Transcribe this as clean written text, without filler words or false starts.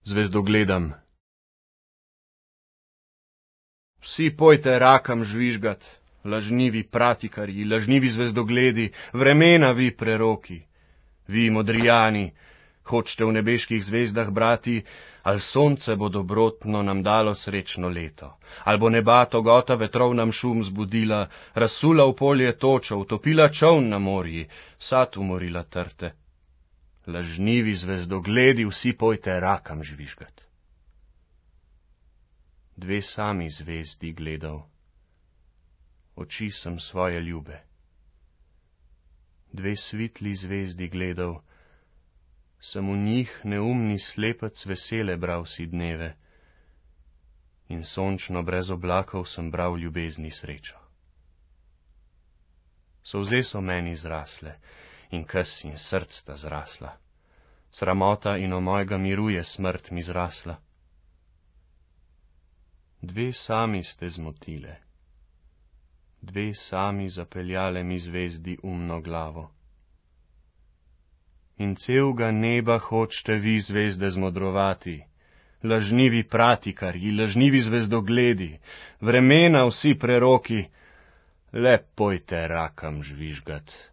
zvezdogledam. Vsi pojte rakam žvižgat, lažnivi pratikarji, lažnivi zvezdogledi, vremena vi preroki. Vi modrijani, hočete v nebeških zvezdah brati, ali sonce bo dobrotno nam dalo srečno leto, ali bo neba togota vetrov nam šum zbudila, razsula v polje točo, utopila čoln na morji, sad umorila trte. Lažnivi zvezdogledi, vsi pojte rakam žvižgat. Dve sami zvezdi gledal, oči sem svoje ljube. Dve svitli zvezdi gledal, sem v njih neumni slepec vesele bral si dneve in sončno brez oblakov sem bral ljubezni srečo. Solze so meni zrasle in kes in src sta zrasla, sramota in o mojega miru je smrt mi zrasla. Dve sami ste zmotile, dve sami zapeljale mi zvezdi umno glavo. In celega neba hočete vi zvezde zmodrovati, lažnivi pratikarji, lažnivi zvezdogledi, vremena vsi preroki, le pojte rakam žvižgat.